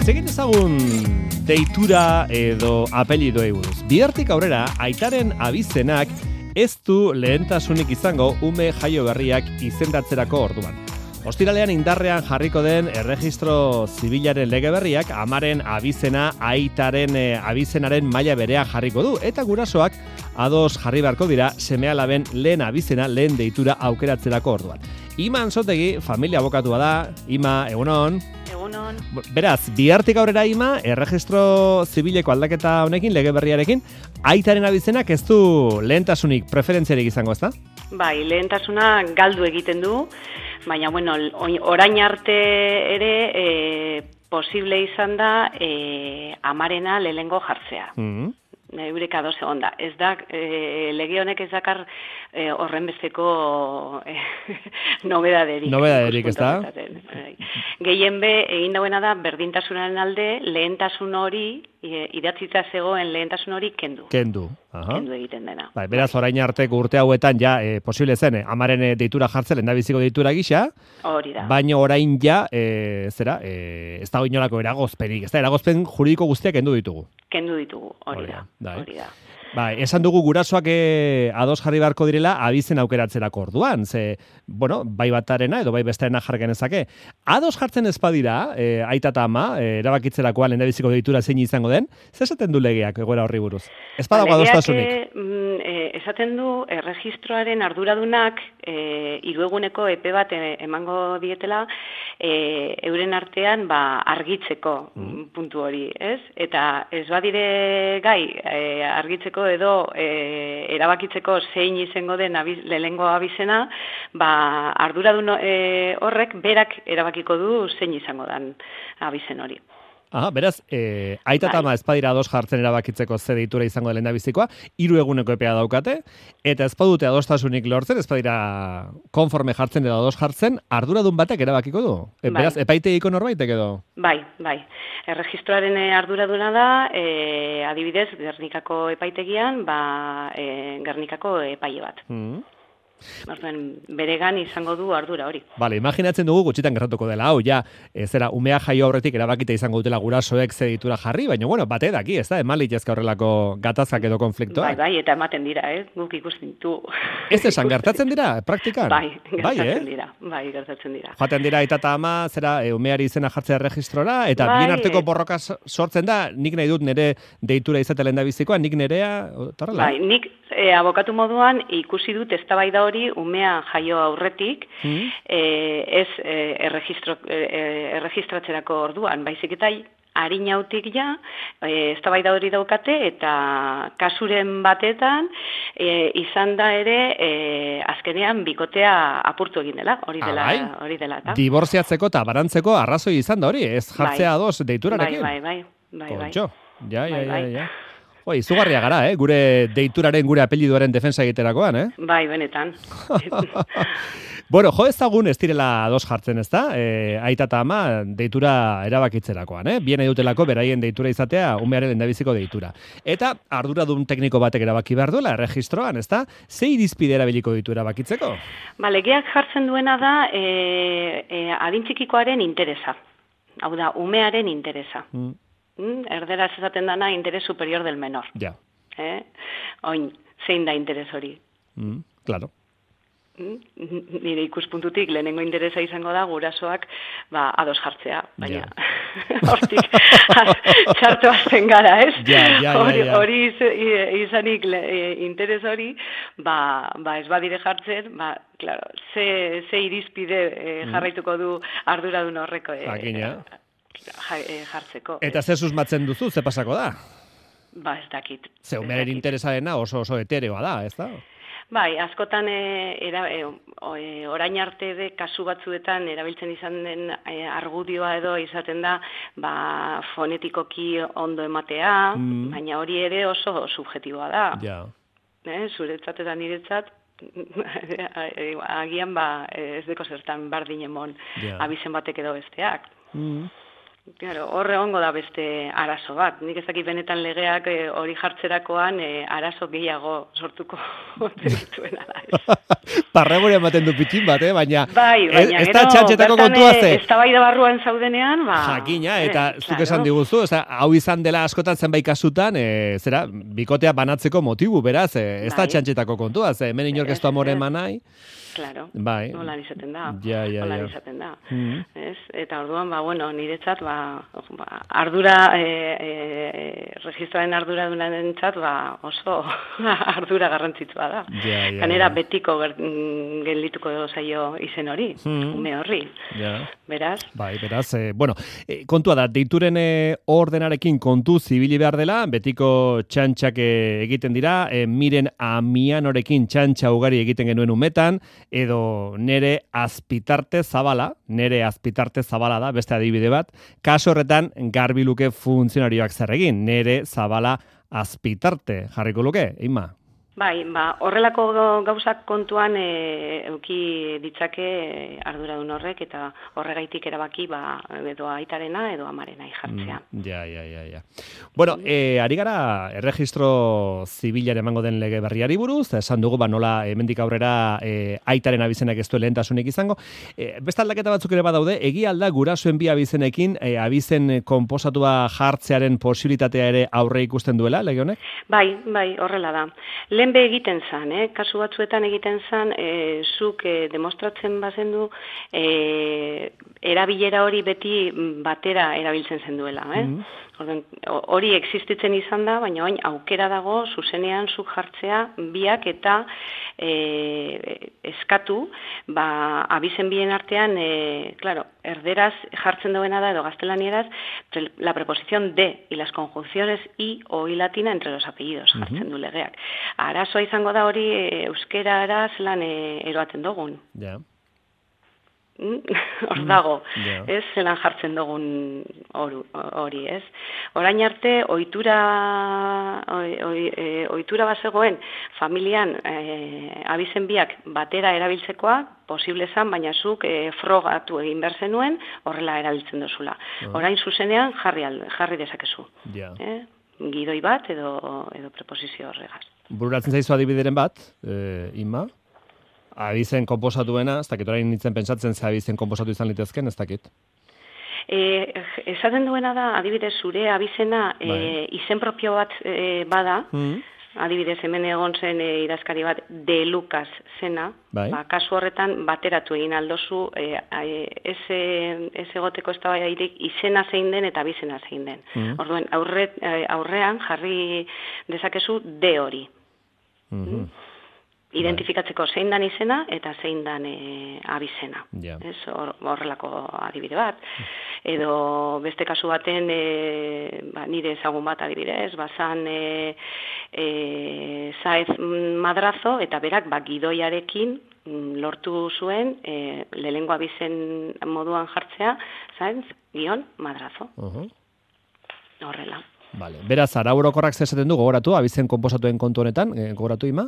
Hitz egin ezagun deitura edo apellidoei buruz. Bihartik aurrera, aitaren abizenak ez du lehentasunik izango ume jaio berriak izendatzerako orduan. Ostiralean indarrean jarriko den erregistro zibilaren lege berriak amaren abizena aitaren abizenaren maila berean jarriko du eta gurasoak ados jarri beharko dira seme-alaben lehen abizena, lehen deitura aukeratzerako orduan. Ima Anzotegi, familia abokatua da. Ima, egunon. Egunon. Beraz, bihartik aurrera Ima, erregistro zibileko aldaketa honekin, lege berriarekin, aitaren abizenak ez du lehentasunik, preferentziarik izango, ezta? Bai, lehentasuna galdu egiten du, baina, bueno, orain arte ere posible izan da amarena lehengo jartzea. Eureka ados egon da. Ez da, lege honek ez dakar horren besteko nobedaderik. Nobedaderik, ez da? Gehien be, egin dauena da, berdintasunaren alde, lehentasun hori, idatzita zegoen lehentasun hori kendu. Kendu. Aha. Kendu egiten dena. Bai, beraz, orain arteko urte hauetan ja posible zen, amaren deitura jartzen, lehendabiziko deitura gisa. Hori da. Baina orain ja, ez dago inolako eragozpenik, ez da, eragozpen juridiko guztiak kendu ditugu. Kendu ditugu, hori da. Hori da. Bai, esan dugu gurasoak ados jarri beharko direla abizen aukeratzerako orduan, ze, bueno, bai batarena edo bai bestearena jar genezake. Ados jartzen ez badira, aita eta ama, erabakitzerakoan lehendabiziko deitura zein izango den, ze esaten du legeak egoera horri buruz? Ez badago adostasunik? Esaten du, erregistroaren arduradunak hirueguneko epe bat emango dietela euren artean argitzeko puntu hori, ez? Eta ez badire gai argitzeko edo erabakitzeko zein izango den lehengo abizena, arduradun horrek berak erabakiko du zein izango den abizen hori. Aha, beraz, aita eta ama ez badira ados jartzen erabakitzeko ze deitura izango da lehendabizikoa, 3 eguneko epea daukate, eta ez badute adostasunik lortzen, ez badira konforme jartzen edo ados jartzen, arduradun batek erabakiko du? Beraz, epaitegiko norbaitek edo? Bai. Erregistroaren arduraduna da, adibidez, Gernikako epaitegian, Gernikako epaile bat. Beregan izango du ardura hori. Bale, imaginatzen dugu gutxitan gertatuko dela, hau, ja, umea jaio aurretik erabakita izango dutela gurasoek ze deitura jarri, baina, bueno, bate daki, ez da, eman litezke horrelako gatazkak edo konfliktoak. Bai, eta ematen dira, guk ikusten du. Ez esan, gertatzen dira, praktikan? Bai, gertatzen dira. Joaten dira, eta ama, umeari izena jartzea registrora, eta bien arteko borroka sortzen da, nik nahi dut nire deitura izatela endabizikoa, nik nirea, torrela? Bai, nik abokatu moduan ikusi dut eztabaida hori umea jaio aurretik, ez erregistratzerako orduan, baizik eta harinautik ja, eztabaida hori daukate, eta kasuren batetan izan da ere azkenean bikotea apurtu egin dela, hori dela. Diborziatzeko eta barantzeko arrazoi izan da hori, ez jartzea ados deiturarekin. Bai. Kontxo, ja. Izugarria gara, gure deituraren, gure apelliduaren defensa egiterakoan, Bai, benetan. Bueno, jo ezagun ez direla ados jartzen, ez da? Aita eta ama deitura erabakitzerakoan, Bien edutelako beraien deitura izatea, umearen lehendabiziko deitura. Eta arduradun tekniko batek erabaki behar duela, erregistroan, ez da? Ze irizpide erabiliko ditu erabakitzeko? Legeak jartzen duena da adintzikikoaren interesa. Hau da, umearen interesa. Erderaz esaten dana interes superior del menor. Ja. Oin, zein da interes hori? Claro. Nire ikuspuntutik lehenengo interesa izango da gurasoak ados jartzea, baina hortik txartu azten gara, ez? Hori izanik interes hori, ez badire jartzen, claro, ze irizpide jarraituko du arduradun horreko jartzeko. Eta ze susmatzen duzu, ze pasako da? Ez dakit. Ze umearen interesarena oso etereoa da, ez da? Bai, askotan orain arte kasu batzuetan erabiltzen izan den argudioa edo izaten da fonetikoki ondo ematea, baina hori ere oso subjetiboa da. Ja. Zuretzat eta niretzat agian ez deko zertan bardin emon abizen batek edo besteak. Claro, horre egongo da beste arazo bat. Nik ez dakit benetan legeak hori jartzerakoan arazo gehiago sortuko dituena da. Parregure ematen du pitxin bat, baina baina ez da txantxetako kontua ze. Eztabaida barruan zaudenean, jakina, eta zuk esan diguzu, hau izan dela askotan zenbait kasutan, bikotea banatzeko motibu, beraz, ez da txantxetako kontua, ze hemen inork ez du amore eman nahi. Claro, bai. Hola izaten da. Hola izaten da. Ez? Eta orduan, niretzat, ardura, registroaren ardura dunarentzat, oso ardura garrantzitsua da. Kanera betiko geldituko zaio izen hori, ume horri. Beraz? Bai, beraz, kontua da, deituren ordenarekin kontu zibili behar dela, betiko txantxak egiten dira, miren amianorekin txantxa ugari egiten genuen umetan, edo nere azpitarte zabala da, beste adibide bat, kaso horretan garbi luke funtzionarioak zer egin, nere zabala azpitarte jarriko luke, Ima? Bai, horrelako gauzak kontuan euki ditzake arduradun horrek eta horregaitik erabaki edo aitarena edo amarena jartzea. Ja. Bueno, ari gara erregistro zibilaren emango den lege berriari buruz, esan dugu nola hemendik aurrera aitaren abizenak ez du lehentasunik izango. Beste aldaketa batzuk ere badaude, egia alda gurasoen bi abizenekin abizen konposatua jartzearen posibilitatea ere aurre ikusten duela, lege honek? Bai, horrela da. Lehenbe egiten zan, kasu batzuetan egiten zan, zuk demostratzen bazendu erabilera hori beti batera erabiltzen zenduela. Hori existitzen izan da, baina orain aukera dago zuzenean zuk jartzea biak eta eskatu, abizen bien artean, erderaz jartzen duena da edo gaztelanieraz, la preposición de y las conjunciones y o y latina entre los apellidos jartzen du legeak. Arazoa izango da hori euskerara zelan eroaten dugun. Ja. Hor dago, ez, zelan jartzen dugun hori, ez. Orain arte, ohitura bazegoen familian abizen biak batera erabiltzekoa, posible zan, baina zuk frogatu egin behar zenuen, horrela erabiltzen duzula. Orain zuzenean jarri dezakezu. Gidoi bat edo preposizio horregaz. Bururatzen zaizu adibideren bat, Ima? Abizen konposatuena, ez dakit orain nintzen pentsatzen ze abizen konposatu izan litezken, ez dakit? Esaten duena da, adibidez, zure abizena izen propio bat bada, adibidez, hemen egon zen idazkari bat, De Lucas zena, kasu horretan bateratu egin aldozu, ez egoteko ez da baiarik izena zein den eta abizena zein den. Orduan, aurrean jarri dezakezu de hori. Identifikatzeko zein dan izena eta zein dan abizena. Horrelako adibide bat. Edo beste kasu baten, nire ezagun bat adibidez, bazan Saez Madrazo eta berak gidoiarekin lortu zuen lehengo abizen moduan jartzea, Saez Madrazo. Horrela. Beraz, arau orokorrak zesaten du, gogoratu, abizen konposatuen kontu honetan, gogoratu, Ima?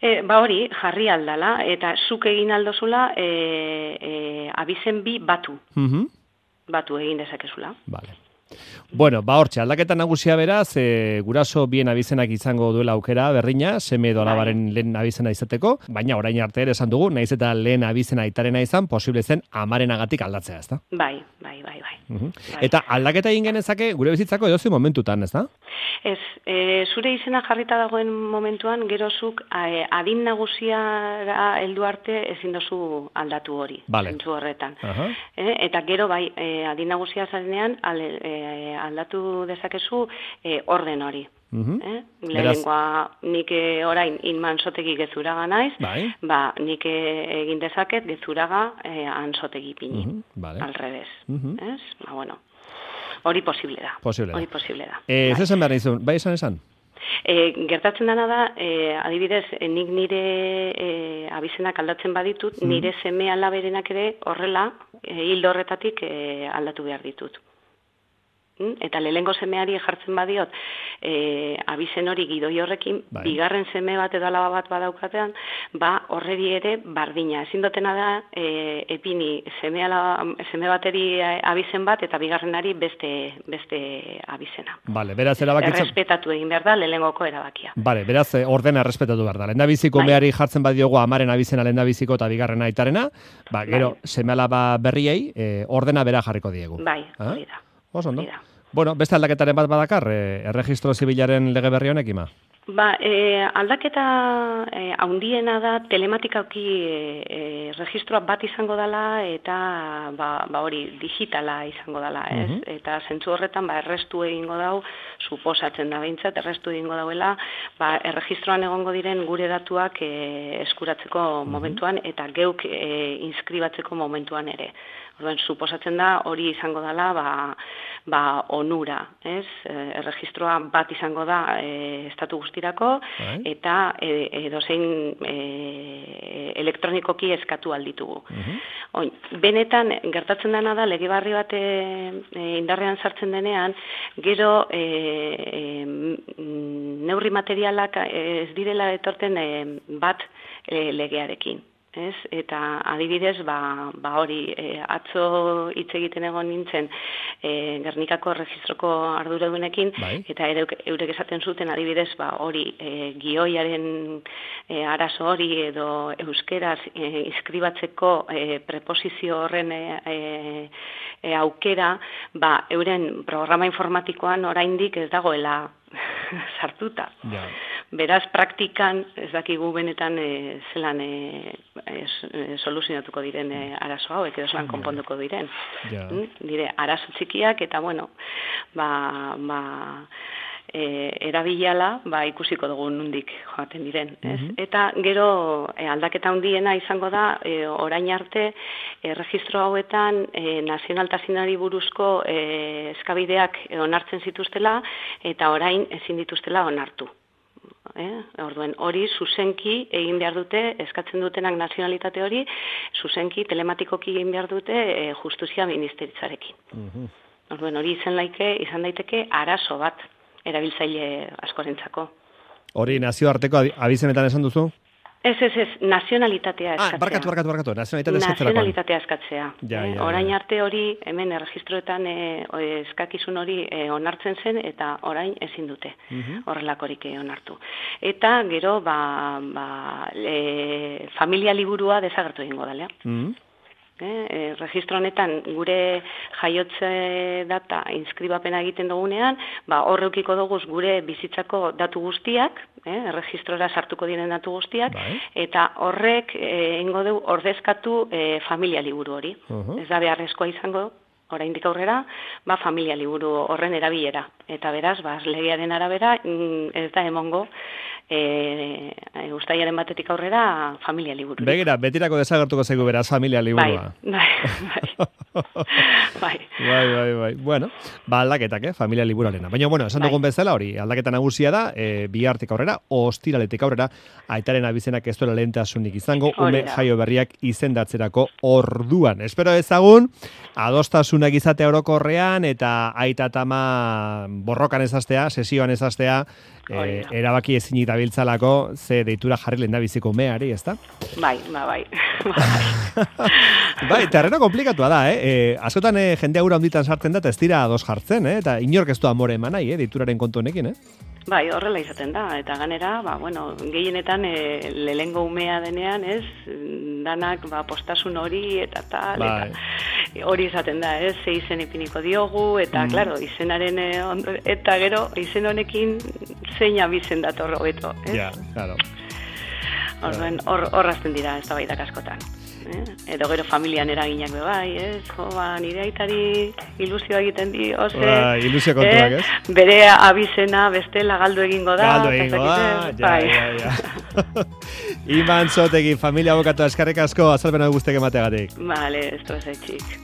Hori, jarri aldala, eta zuk egin aldozula abizen bi batu. Batu egin dezakezula. Bueno, hortxe, aldaketa nagusia beraz, guraso bien abizenak izango duela aukera berdina, seme edo alabaren lehen abizena izateko, baina orain arte ere esan dugu, naiz eta lehen abizena aitarena izan, posible zen amarenagatik aldatzea, ez da? Bai. Eta aldaketa egin genezake gure bizitzako edozein momentutan, ez da? Ez, zure izena jarrita dagoen momentuan, gerozuk adin nagusiara heldu arte ezin dozu aldatu hori, zentzu horretan. Eta gero bai, adin nagusia zarenean aldatu dezakezu orden hori. Lehenengoa nik orain inmansotegi gezuraga naiz, nik egin dezaket gezuraga ansotegi pini, alrebez. Hori posible da. Ez esan behar nizun, bai esan? Gertatzen dena da, adibidez, nik nire abizenak aldatzen baditut, nire seme alaberenak ere horrela, hildo horretatik aldatu behar ditut. Eta lehengo semeari jartzen badiot, abizen hori gidoi horrekin, bigarren seme bat edo alaba bat badaukatean, horreri ere bardina. Ezin dutena da, epini seme bateri abizen bat eta bigarrenari beste abizena. Vale, beraz erabakitzen... Errespetatu egin behar da, lehenengoko erabakia. Vale, beraz ordena errespetatu behar da. Lehendabiziko meari jartzen badiogu amaren abizena lehendabiziko eta bigarrena aitarena, gero seme alaba berriei ordena bera jarriko diegu. Bai, hori da. Oso ondo. Bueno, beste aldaketaren bat badakar, erregistro zibilaren lege berri honek ima? Aldaketa haundiena da telematikauki registroa bat izango dela eta hori digitala izango dela, ez? Eta zentzu horretan errestu egingo dau, suposatzen da behintzat, errestu egingo dauela, erregistroan egongo diren gure datuak eskuratzeko momentuan eta geuk inskribatzeko momentuan ere. Orduan, suposatzen da hori izango dela onura, ez? Erregistroa bat izango da estatu guztirako eta edozein elektronikoki eskatu alditugu. Benetan, gertatzen dena da, lege berri bat indarrean sartzen denean, gero neurri materialak ez direla etorten bat legearekin. Eta adibidez, hori, atzo hitz egiten egon nintzen Gernikako erregistroko arduradunekin, eta eurek esaten zuten adibidez, hori, gioiaren arazo hori edo euskeraz inskribatzeko preposizio horren aukera, euren programa informatikoan oraindik ez dagoela sartuta. Beraz, praktikan, ez dakigu benetan zelan soluzionatuko diren arazo hauek, edo zelan konponduko diren. Dire, arazo txikiak, eta bueno, erabilala, ikusiko dugu nondik joaten diren. Eta gero aldaketa handiena izango da, orain arte, erregistro hauetan nazionaltasunari buruzko eskabideak onartzen zituztela, eta orain ezin dituztela onartu. Orduen, hori zuzenki egin behar dute, eskatzen dutenak nazionalitate hori, zuzenki telematikoki egin behar dute justizia ministeritzarekin. Orduen, hori izan daiteke arazo bat erabiltzaile askorentzako. Hori nazioarteko abizenetan esan duzu? Ez, nazionalitatea eskatzea. Barkatu, nazionalitatea eskatzea. Nazionalitatea eskatzea. Orain arte hori, hemen erregistroetan eskakizun hori onartzen zen, eta orain ezin dute horrelakorik onartu. Eta gero, familia liburua desagertu egingo da, registro honetan gure jaiotze data inskribapena egiten dugunean, horreukiko dugu gure bizitzako datu guztiak, erregistrora sartuko diren datu guztiak, eta horrek egingo dugu ordezkatu familia liburu hori. Ez da beharrezkoa izango, oraindik aurrera, familia liburu horren erabilera. Eta beraz, legearen arabera, ez da emongo, uztailaren batetik aurrera familia liburu. Begira, betirako desagertuko zaigu beraz familia liburua. Bai. Bueno, aldaketak, familia liburuarena. Baina, esan dugun bezala hori, aldaketa nagusia da, bihartik aurrera, ostiraletik aurrera, aitaren abizenak ez duela lehentasunik izango, ume jaio berriak izendatzerako orduan. Espero ezagun, adostasunak izatea orokorrean, eta aita tama borrokan ezaztea, sesioan ezaztea, erabaki ezinik dabiltzalako, ze deitura jarri lehendabiziko umeari, ezta? Bai. Terreno komplikatua da, askotan jende aura onditan sartzen da, ez dira ados jartzen, eta inork ez du amore eman nahi, deituraren kontu honekin, Bai, horrela izaten da, eta ganera, gehienetan lehengo umea denean, danak postasun hori eta tal, eta hori izaten da, ze izen ipiniko diogu, eta, klaro, izenaren, eta gero, izen honekin zein abizen dator hobeto, Ja, klaro. Horrazten dira, ez da baitak askotan. Edo gero familian eraginak bai, nire aitari ilusioa egiten di, ilusio kontuak, bere abizena bestela galdu egingo da. Ja. Iman Zotegi, familia abokatu eskerrik asko azalpena guztiak emateagatik. Vale, esto es el chic.